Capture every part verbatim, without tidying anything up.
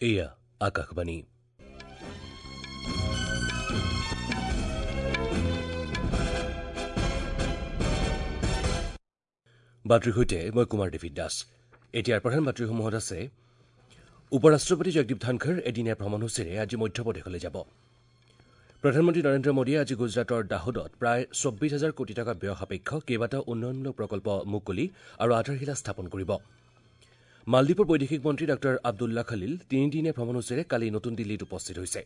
এয়া আকাশবাণী। বাতৰিৰ সৈতে মই কুমাৰ ডেভিড দাস। এতিয়াৰ প্ৰধান বাতৰিসমূহত আছে উপ-ৰাষ্ট্ৰপতি জগদীপ ধনখৰ এদিনীয়া ভ্ৰমণসূচীৰে আজি মধ্যপ্ৰদেশলৈ যাব। প্ৰধানমন্ত্ৰী নৰেন্দ্ৰ মোদীয়ে আজি গুজৰাটৰ দাহোদত প্ৰায় চৌব্বিছ হাজাৰ কোটি টকা ব্যয় সাপেক্ষ কেইবাটাও উন্নয়নমূলক প্ৰকল্প মুকলি আৰু আধাৰশিলা স্থাপন কৰিব। মালদ্বীপৰ বৈদেশিক মন্ত্ৰী ডাঃ আব্দুল্লা খলিল তিনিদিনীয়া ভ্ৰমণসূচীৰে কালি নতুন দিল্লীত উপস্থিত হৈছে।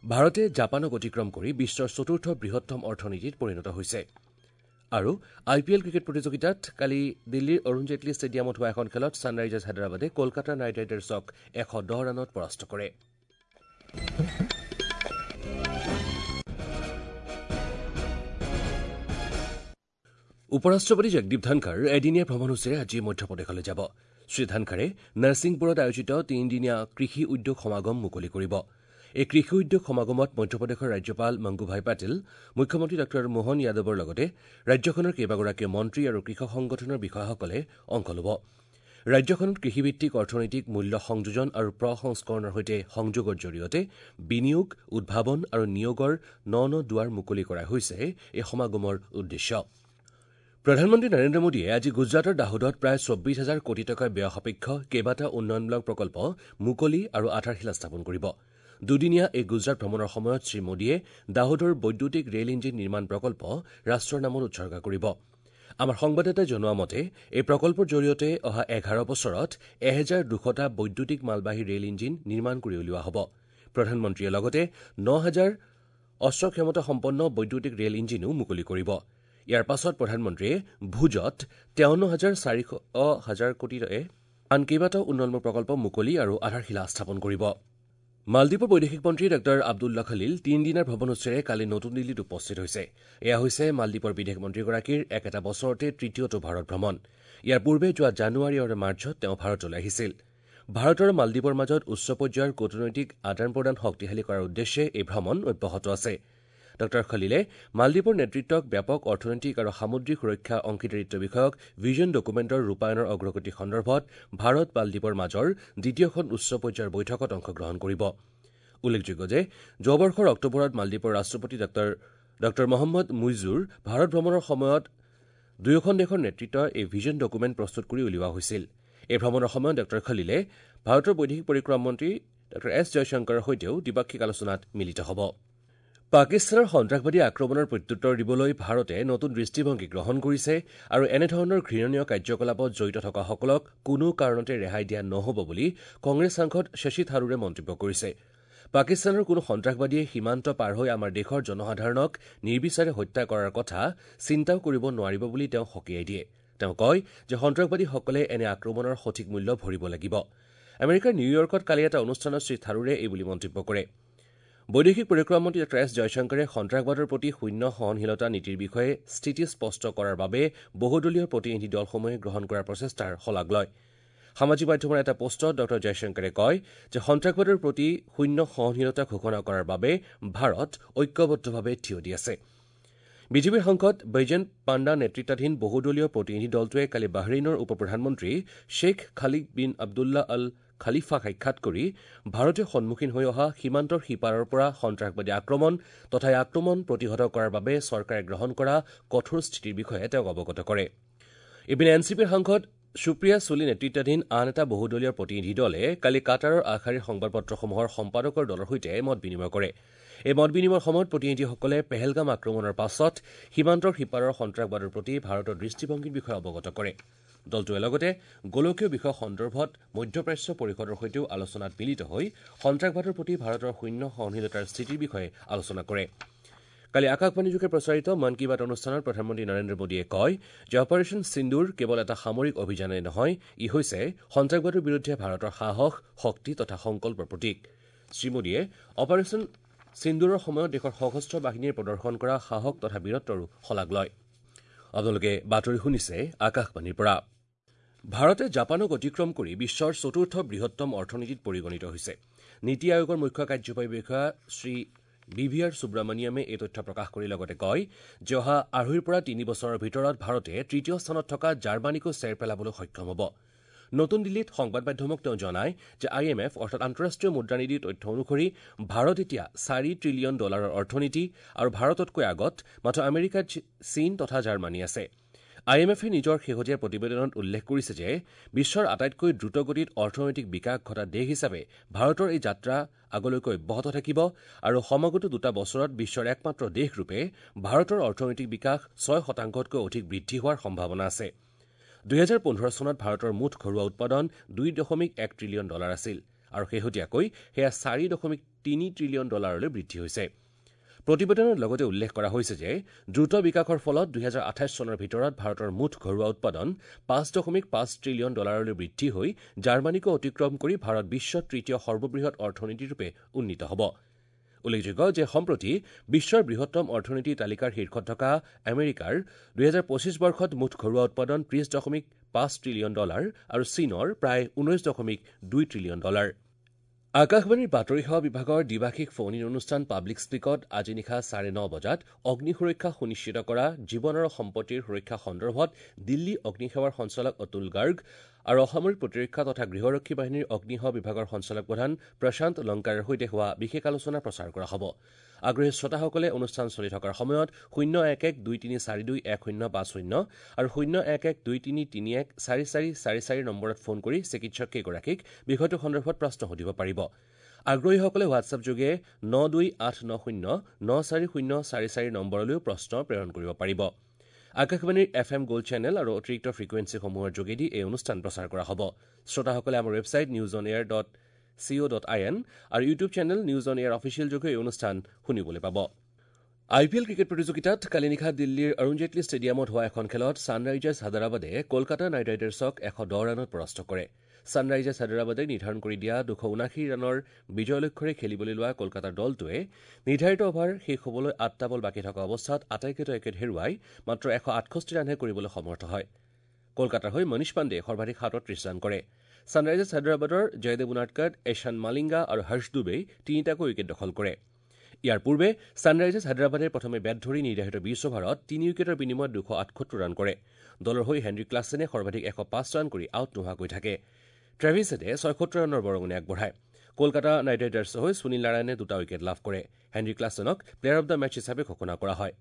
ভাৰতে জাপানক অতিক্ৰম কৰি বিশ্বৰ চতুৰ্থ বৃহত্তম অৰ্থনীতিত পৰিণত হৈছে। আৰু আই পি এল ক্ৰিকেট প্ৰতিযোগিতাত কালি দিল্লীৰ অৰুণ জেটলী ষ্টেডিয়ামত হোৱা এখন খেলত ছানৰাইজাৰ্ছ হায়দৰাবাদে কলকাতা নাইট ৰাইডাৰ্ছক এশ দহ ৰানত পৰাস্ত কৰে। উপ-ৰাষ্ট্ৰপতি জগদীপ ধনখৰ এদিনীয়া ভ্ৰমণসূচীৰে আজি মধ্যপ্ৰদেশলৈ যাব। শ্ৰী ধনখৰে নৰসিংপুৰত আয়োজিত তিনিদিনীয়া কৃষি উদ্যোগ সমাগম মুকলি কৰিব। এই কৃষি উদ্যোগ সমাগমত মধ্যপ্ৰদেশৰ ৰাজ্যপাল মংগুভাই পাটিল, মুখ্যমন্ত্ৰী ডাঃ মোহন যাদৱৰ লগতে ৰাজ্যখনৰ কেইবাগৰাকীও মন্ত্ৰী আৰু কৃষক সংগঠনৰ বিষয়াসকলে অংশ ল'ব। ৰাজ্যখনত কৃষিভিত্তিক অৰ্থনৈতিক মূল্য সংযোজন আৰু প্ৰসংস্কৰণৰ সৈতে সংযোগৰ জৰিয়তে বিনিয়োগ, উদ্ভাৱন আৰু নিয়োগৰ ন ন দুৱাৰ মুকলি কৰা হৈছে এই সমাগমৰ উদ্দেশ্য। প্ৰধানমন্ত্ৰী নৰেন্দ্ৰ মোদীয়ে আজি গুজৰাটৰ দাহোদত প্ৰায় চৌব্বিছ হাজাৰ কোটি টকা ব্যয় সাপেক্ষ কেইবাটাও উন্নয়নমূলক প্ৰকল্প মুকলি আৰু আধাৰশিলা স্থাপন কৰিব। দুদিনীয়া এই গুজৰাট ভ্ৰমণৰ সময়ত শ্ৰী মোদীয়ে দাহোদৰ বৈদ্যুতিক ৰেল ইঞ্জিন নিৰ্মাণ প্ৰকল্প ৰাষ্ট্ৰৰ নামত উৎসৰ্গা কৰিব। আমাৰ সংবাদদাতাই জনোৱা মতে এই প্ৰকল্পৰ জৰিয়তে অহা এঘাৰ বছৰত এহেজাৰ দুশটা বৈদ্যুতিক মালবাহী ৰেল ইঞ্জিন নিৰ্মাণ কৰি উলিওৱা হ'ব। প্ৰধানমন্ত্ৰীয়ে লগতে ন হাজাৰ অশ্ব ক্ষমতাসম্পন্ন বৈদ্যুতিক ৰেল ইঞ্জিনো মুকলি কৰিব। ইয়াৰ পাছত প্ৰধানমন্ত্ৰীয়ে ভুজত তেৱন্ন হাজাৰ চাৰিশ হাজাৰ কোটিৰে আন কেইবাটাও উন্নয়নমূলক প্ৰকল্প মুকলি আৰু আধাৰশিলা স্থাপন কৰিব। মালদ্বীপৰ বৈদেশিক মন্ত্ৰী ডাঃ আব্দুল্লা খলিল তিনিদিনীয়া ভ্ৰমণসূচীৰে কালি নতুন দিল্লীত উপস্থিত হৈছে। এয়া হৈছে মালদ্বীপৰ বিদেশ মন্ত্ৰীগৰাকীৰ একেটা বছৰতে তৃতীয়টো ভাৰত ভ্ৰমণ। ইয়াৰ পূৰ্বে যোৱা জানুৱাৰী আৰু মাৰ্চত তেওঁ ভাৰতলৈ আহিছিল। ভাৰত আৰু মালদ্বীপৰ মাজত উচ্চ পৰ্যায়ৰ কূটনৈতিক আদান প্ৰদান শক্তিশালী কৰাৰ উদ্দেশ্যে এই ভ্ৰমণ অব্যাহত আছে। ডাঃ খলিলে মালদ্বীপৰ নেতৃত্বক ব্যাপক অৰ্থনৈতিক আৰু সামুদ্ৰিক সুৰক্ষা অংশীদাৰিত্ব বিষয়ক ভিজন ডকুমেণ্টৰ ৰূপায়ণৰ অগ্ৰগতি সন্দৰ্ভত ভাৰত মালদ্বীপৰ মাজৰ দ্বিতীয়খন উচ্চ পৰ্যায়ৰ বৈঠকত অংশগ্ৰহণ কৰিব। উল্লেখযোগ্য যে যোৱা বৰ্ষৰ অক্টোবৰত মালদ্বীপৰ ৰাষ্ট্ৰপতি ডাঃ মহম্মদ মুইজুৰ ভাৰত ভ্ৰমণৰ সময়ত দুয়োখন দেশৰ নেতৃত্বৰ এই ভিজন ডকুমেণ্ট প্ৰস্তুত কৰি উলিওৱা হৈছিল। এই ভ্ৰমণৰ সময়ত ডাঃ খলিলে ভাৰতৰ বৈদেশিক পৰিক্ৰমা মন্ত্ৰী ডাঃ এছ জয়শংকৰৰ সৈতেও দ্বিপাক্ষিক আলোচনাত মিলিত হ'ব। পাকিস্তানৰ সন্ত্ৰাসবাদী আক্ৰমণৰ প্ৰত্যুত্তৰ দিবলৈ ভাৰতে নতুন দৃষ্টিভংগী গ্ৰহণ কৰিছে আৰু এনেধৰণৰ ঘৃণনীয় কাৰ্যকলাপত জড়িত থকাসকলক কোনো কাৰণতে ৰেহাই দিয়া নহ'ব বুলি কংগ্ৰেছ সাংসদ শশী থাৰুৰে মন্তব্য কৰিছে। পাকিস্তানৰ কোনো সন্ত্ৰাসবাদীয়ে সীমান্ত পাৰ হৈ আমাৰ দেশৰ জনসাধাৰণক নিৰ্বিচাৰে হত্যা কৰাৰ কথা চিন্তাও কৰিব নোৱাৰিব বুলি তেওঁ সকীয়াই দিয়ে। তেওঁ কয় যে সন্ত্ৰাসবাদীসকলে এনে আক্ৰমণৰ সঠিক মূল্য ভৰিব লাগিব। আমেৰিকাৰ নিউয়ৰ্কত কালি এটা অনুষ্ঠানত শ্ৰী থাৰুৰে এই বুলি মন্তব্য কৰে। বৈদেশিক পৰিক্ৰমা মন্ত্ৰী ডাঃ এছ জয়শংকৰে সন্ত্ৰাসবাদৰ প্ৰতি শূন্য সহনশীলতা নীতিৰ বিষয়ে স্থিতি স্পষ্ট কৰাৰ বাবে বহুদলীয় প্ৰতিনিধি দলসমূহে গ্ৰহণ কৰাৰ প্ৰচেষ্টাৰ শলাগ লয়। সামাজিক মাধ্যমৰ এটা পোষ্টত ডাঃ জয়শংকৰে কয় যে সন্ত্ৰাসবাদৰ প্ৰতি শূন্য সহনশীলতা ঘোষণা কৰাৰ বাবে ভাৰত ঐক্যবদ্ধভাৱে থিয় দি আছে। বিজেপিৰ সাংসদ বৈজয়ন্ত পাণ্ডা নেতৃত্বাধীন বহুদলীয় প্ৰতিনিধি দলটোৱে কালি বাহৰেইনৰ উপ প্ৰধানমন্ত্ৰী শ্বেখ খালিদ বিন আব্দুল্লাহ আল খালিফাক সাক্ষাৎ কৰি ভাৰতে সন্মুখীন হৈ অহা সীমান্তৰ সিপাৰৰ পৰা সন্ত্ৰাসবাদী আক্ৰমণ তথা এই আক্ৰমণ প্ৰতিহত কৰাৰ বাবে চৰকাৰে গ্ৰহণ কৰা কঠোৰ স্থিতিৰ বিষয়ে তেওঁক অৱগত কৰে। ইপিনে এন চি পিৰ সাংসদ সুপ্ৰিয়া চুলি নেতৃত্বাধীন আন এটা বহুদলীয় প্ৰতিনিধি দলে কালি কাটাৰৰ আগশাৰীৰ সংবাদপত্ৰসমূহৰ সম্পাদকৰ দলৰ সৈতে মত বিনিময় কৰে। এই মত বিনিময়ৰ সময়ত প্ৰতিনিধিসকলে পেহেলগাম আক্ৰমণৰ পাছত সীমান্তৰ সিপাৰৰ সন্ত্ৰাসবাদৰ প্ৰতি ভাৰতৰ দৃষ্টিভংগীৰ বিষয়ে অৱগত কৰে। দলটোৱে লগতে গোলকীয় বিষয় সন্দৰ্ভত মধ্যপ্ৰাচ্য পৰিষদৰ সৈতেও আলোচনাত মিলিত হৈ সন্ত্ৰাসবাদৰ প্ৰতি ভাৰতৰ শূন্য সহনশীলতাৰ স্থিতিৰ বিষয়ে আলোচনা কৰে। কালি আকাশবাণীযোগে প্ৰচাৰিত মন কী বাত অনুষ্ঠানত প্ৰধানমন্ত্ৰী নৰেন্দ্ৰ মোদীয়ে কয় যে অপাৰেশ্যন সিন্দুৰ কেৱল এটা সামৰিক অভিযানেই নহয়, ই হৈছে সন্ত্ৰাসবাদৰ বিৰুদ্ধে ভাৰতৰ সাহস, শক্তি তথা সংকল্পৰ প্ৰতীক। শ্ৰী মোদীয়ে অপাৰেশ্যন সিন্দুৰৰ সময়ত দেশৰ সশস্ত্ৰ বাহিনীয়ে প্ৰদৰ্শন কৰা সাহস তথা বীৰত্বৰো শলাগ লয়। আপোনালোকে বাতৰি শুনিছে আকাশবাণীৰ পৰা। ভাৰতে জাপানক অতিক্ৰম কৰি বিশ্বৰ চতুৰ্থ বৃহত্তম অৰ্থনীতিত পৰিগণিত হৈছে। নীতি আয়োগৰ মুখ্য কাৰ্যবাহী বিষয়া শ্ৰী বি ভি আৰ সুব্ৰমণিয়ামে এই তথ্য প্ৰকাশ কৰি লগতে কয় যে অহা আঢ়ৈৰ পৰা তিনি বছৰৰ ভিতৰত ভাৰতে তৃতীয় স্থানত থকা জাৰ্মানীকো চেৰ পেলাবলৈ সক্ষম হ'ব। নতুন দিল্লীত সংবাদ মাধ্যমক তেওঁ জনায় যে I am F অৰ্থাৎ আন্তঃৰাষ্ট্ৰীয় মুদ্ৰানিধিৰ তথ্য অনুসৰি ভাৰত এতিয়া চাৰি ট্ৰিলিয়ন ডলাৰৰ অৰ্থনীতি আৰু ভাৰততকৈ আগত মাথো আমেৰিকা, চীন তথা জাৰ্মানী আছে। I am এফে নিজৰ শেহতীয়া প্ৰতিবেদনত উল্লেখ কৰিছে যে বিশ্বৰ আটাইতকৈ দ্ৰুতগতিত অৰ্থনৈতিক বিকাশ ঘটা দেশ হিচাপে ভাৰতৰ এই যাত্ৰা আগলৈকে অব্যাহত থাকিব আৰু সমাগত দুটা বছৰত বিশ্বৰ একমাত্ৰ দেশৰূপে ভাৰতৰ অৰ্থনৈতিক বিকাশ ছয় শতাংশতকৈ অধিক বৃদ্ধি হোৱাৰ সম্ভাৱনা আছে। দুহেজাৰ পোন্ধৰ চনত ভাৰতৰ মুঠ ঘৰুৱা উৎপাদন দুই দশমিক এক ট্ৰিলিয়ন ডলাৰ আছিল আৰু শেহতীয়াকৈ সেয়া চাৰি দশমিক তিনি ট্ৰিলিয়ন ডলাৰলৈ বৃদ্ধি হৈছে। প্ৰতিবেদনত লগতে উল্লেখ কৰা হৈছে যে দ্ৰুত বিকাশৰ ফলত দুহেজাৰ আঠাইছ চনৰ ভিতৰত ভাৰতৰ মুঠ ঘৰুৱা উৎপাদন পাঁচ দশমিক পাঁচ ট্ৰিলিয়ন ডলাৰলৈ বৃদ্ধি হৈ জাৰ্মানীকো অতিক্ৰম কৰি ভাৰত বিশ্বৰ তৃতীয় সৰ্ববৃহৎ অৰ্থনীতিৰূপে উন্নীত হ'ব। উল্লেখযোগ্য যে সম্প্ৰতি বিশ্বৰ বৃহত্তম অৰ্থনীতিৰ তালিকাৰ শীৰ্ষত থকা আমেৰিকাৰ দুহেজাৰ পঁচিছ বৰ্ষত মুঠ ঘৰুৱা উৎপাদন ত্ৰিশ দশমিক পাঁচ ট্ৰিলিয়ন ডলাৰ আৰু চীনৰ প্ৰায় ঊনৈশ দশমিক দুই ট্ৰিলিয়ন ডলাৰ। আকাশবাণীৰ বাতৰি সেৱা বিভাগৰ দ্বিভাষিক ফোন ইন অনুষ্ঠান পাব্লিক স্পীকত আজি নিশা চাৰে ন বজাত অগ্নি সুৰক্ষা সুনিশ্চিত কৰা জীৱন আৰু সম্পত্তিৰ সুৰক্ষা সন্দৰ্ভত দিল্লী অগ্নিসেৱাৰ সঞ্চালক অতুল গাৰ্গ আৰু অসামৰিক প্ৰতিৰক্ষা তথা গৃহৰক্ষী বাহিনীৰ অগ্নিসেৱা বিভাগৰ সঞ্চালক প্ৰধান প্ৰশান্ত লংকাৰৰ সৈতে হোৱা বিশেষ আলোচনা প্ৰচাৰ কৰা হ'ব। আগ্ৰহী শ্ৰোতাসকলে অনুষ্ঠান চলি থকাৰ সময়ত শূন্য এক এক দুই তিনি চাৰি দুই এক শূন্য পাঁচ শূন্য আৰু শূন্য এক এক দুই তিনি তিনি এক চাৰি চাৰি চাৰি চাৰি নম্বৰত ফোন কৰি চিকিৎসককেইগৰাকীক বিষয়টো সন্দৰ্ভত প্ৰশ্ন সুধিব পাৰিব। আগ্ৰহীসকলে হোৱাটছএপ যোগে ন দুই আঠ ন শূন্য ন চাৰি শূন্য চাৰি চাৰি নম্বৰলৈও প্ৰশ্ন প্ৰেৰণ কৰিব পাৰিব। আকাশবাণীৰ এফ এম গ'ল্ড চেনেল আৰু অতিৰিক্ত ফ্ৰিকুৱেঞ্চিসমূহৰ যোগেদি এই অনুষ্ঠান প্ৰচাৰ কৰা হ'ব। শ্ৰোতাসকলে আমাৰ website news on air dot C O dot I N আৰু YouTube channel news on air official যোগে এই অনুষ্ঠান শুনিবলৈ পাব। আই পি এল ক্ৰিকেট প্ৰতিযোগিতাত কালি নিশা দিল্লীৰ অৰুণ জেটলী ষ্টেডিয়ামত হোৱা এখন খেলত ছানৰাইজাৰ্ছ হায়দৰাবাদে কলকাতা নাইট ৰাইডাৰ্ছক এশ দহ ৰানত পৰাস্ত কৰে। ছানৰাইজাৰ্ছ হায়দৰাবাদে নিৰ্ধাৰণ কৰি দিয়া দুশ ঊনাশী ৰানৰ বিজয় লক্ষ্যৰে খেলিবলৈ লোৱা কলকাতাৰ দলটোৱে নিৰ্ধাৰিত অভাৰ শেষ হ'বলৈ আঠটা বল বাকী থকা অৱস্থাত আটাইকেইটা উইকেট হেৰুৱাই মাত্ৰ এশ আঠষষ্ঠি ৰানহে কৰিবলৈ সমৰ্থ হয়। কলকাতাৰ হৈ মনীষ পাণ্ডে সৰ্বাধিক সাতত্ৰিশ ৰান কৰে। ছানৰাইজাৰ্ছ হায়দৰাবাদৰ জয়দেৱ উনাদকাট, এশান মালিংগা আৰু হৰ্ষ ডুবেই তিনিটাকৈ উইকেট দখল কৰে। ইয়াৰ পূৰ্বে ছানৰাইজাৰ্ছ হায়দৰাবাদে প্ৰথমে বেট ধৰি নিৰ্ধাৰিত বিশ অভাৰত তিনি উইকেটৰ বিনিময়ত দুশ আঠসত্তৰ ৰান কৰে। দলৰ হৈ হেনৰি ক্লাছেনে সৰ্বাধিক এশ পাঁচ ৰান কৰি আউট নোহোৱাকৈ থাকে। ট্ৰেভিছ হেডে ছয়সত্তৰ ৰানৰ বৰঙণি আগবঢ়ায়। কলকাতা নাইট ৰাইডাৰ্ছৰ হৈ সুনীল নাৰায়ণে দুটা উইকেট লাভ কৰে। হেনৰি ক্লাছেনক প্লেয়াৰ অব the match হিচাপে ঘোষণা কৰা হয়।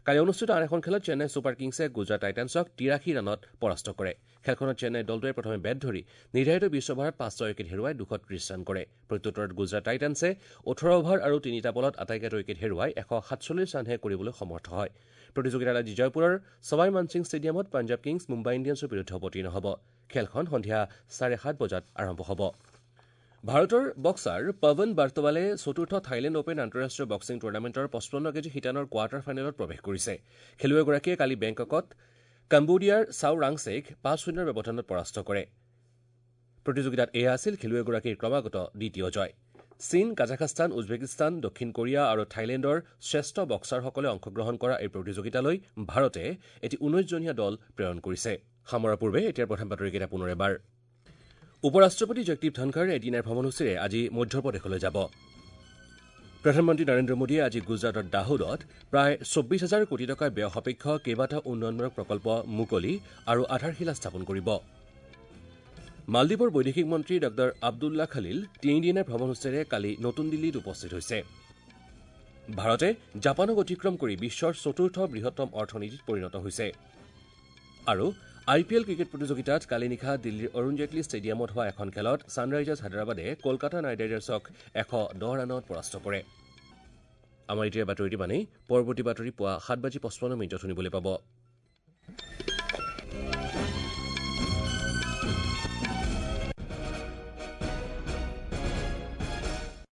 কালি অনুষ্ঠিত আন এখন খেলত চেন্নাই ছুপাৰ কিংছে গুজৰাট টাইটানছক তিৰাশী ৰানত পৰাস্ত কৰে। খেলখনত চেন্নাই দলটোৱে প্ৰথমে বেট ধৰি নিৰ্ধাৰিত বিশ অভাৰত পাঁচটা উইকেট হেৰুৱাই দুশ ত্ৰিশ ৰান কৰে। প্ৰত্যুত্তৰত গুজৰাট টাইটানছে ওঠৰ অভাৰ আৰু তিনিটা বলত আটাইকেইটা উইকেট হেৰুৱাই এশ সাতচল্লিছ ৰানহে কৰিবলৈ সমৰ্থ হয়। প্ৰতিযোগিতাত আজি জয়পুৰৰ ছৱাই মানসিং ষ্টেডিয়ামত পাঞ্জাৱ কিংছ মুম্বাই ইণ্ডিয়ানছৰ বিৰুদ্ধে অৱতীৰ্ণ হ'ব। খেলখন সন্ধিয়া চাৰে সাত বজাত আৰম্ভ হ'ব। ভাৰতৰ বক্সাৰ পৱন বাৰ্তৱালে চতুৰ্থ থাইলেণ্ড অপেন আন্তঃৰাষ্ট্ৰীয় বক্সিং টুৰ্ণামেণ্টৰ পঁচপন্ন কেজি শিতানৰ কোৱাৰ্টাৰ ফাইনেলত প্ৰৱেশ কৰিছে। খেলুৱৈগৰাকীয়ে কালি বেংককত কম্বোডিয়াৰ চাও ৰাংছেক পাঁচ শূন্যৰ ব্যৱধানত পৰাস্ত কৰে। প্ৰতিযোগিতাত এয়া আছিল খেলুৱৈগৰাকীৰ ক্ৰমাগত দ্বিতীয় জয়। চীন, কাজাখস্তান, উজবেকিস্তান, দক্ষিণ কোৰিয়া আৰু থাইলেণ্ডৰ শ্ৰেষ্ঠ বক্সাৰসকলে অংশগ্ৰহণ কৰা এই প্ৰতিযোগিতালৈ ভাৰতে এটি ঊনৈছজনীয়া দল প্ৰেৰণ কৰিছে। সামৰাৰ পূৰ্বে এতিয়াৰ প্ৰধান বাতৰিকেইটা পুনৰ এবাৰ। উপ ৰাষ্ট্ৰপতি জগদীপ ধনখৰ এদিনীয়া ভ্ৰমণসূচীৰে আজি মধ্যপ্ৰদেশলৈ যাব। প্ৰধানমন্ত্ৰী নৰেন্দ্ৰ মোদীয়ে আজি গুজৰাটৰ দাহোদত প্ৰায় চৌব্বিছ হাজাৰ কোটি টকাৰ ব্যয় সাপেক্ষ কেইবাটাও উন্নয়নমূলক প্ৰকল্প মুকলি আৰু আধাৰশিলা স্থাপন কৰিব। মালদ্বীপৰ বৈদেশিক মন্ত্ৰী ডাঃ আব্দুল্লা খালিল তিনিদিনীয়া ভ্ৰমণসূচীৰে কালি নতুন দিল্লীত উপস্থিত হৈছে। ভাৰতে জাপানক অতিক্ৰম কৰি বিশ্বৰ চতুৰ্থ বৃহত্তম অৰ্থনীতিত পৰিণত হৈছে। আৰু আই পি এল ক্ৰিকেট প্ৰতিযোগিতাত কালি নিশা দিল্লীৰ অৰুণ জেটলী ষ্টেডিয়ামত হোৱা এখন খেলত ছানৰাইজাৰ্ছ হায়দৰাবাদে কলকাতা নাইট ৰাইডাৰ্ছক এশ দহ ৰানত পৰাস্ত কৰে। আমাৰ এতিয়াৰ বাতৰিটি মানেই। পৰৱৰ্তী বাতৰি পুৱা সাত বাজি পঁচপন্ন মিনিটত শুনিবলৈ পাব।